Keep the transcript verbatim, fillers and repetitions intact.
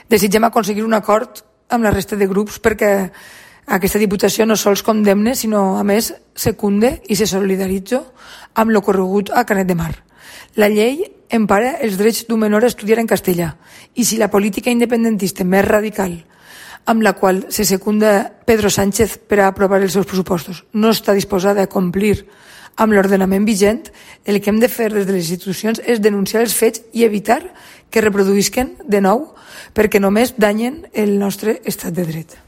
Desitgem aconseguir un acord amb la resta de grups perquè aquesta Diputació no sols condemne, sinó, a més, secunde i se solidaritza amb l'ocorregut a Canet de Mar. La llei empara els drets d'un menor a estudiar en castellà i si la política independentista més radical amb la qual se secunda Pedro Sánchez per a aprovar els seus pressupostos no està disposada a complir amb l'ordenament vigent, el que hem de fer des de les institucions és denunciar els fets i evitar que reproduïsquen de nou perquè només danyen el nostre estat de dret.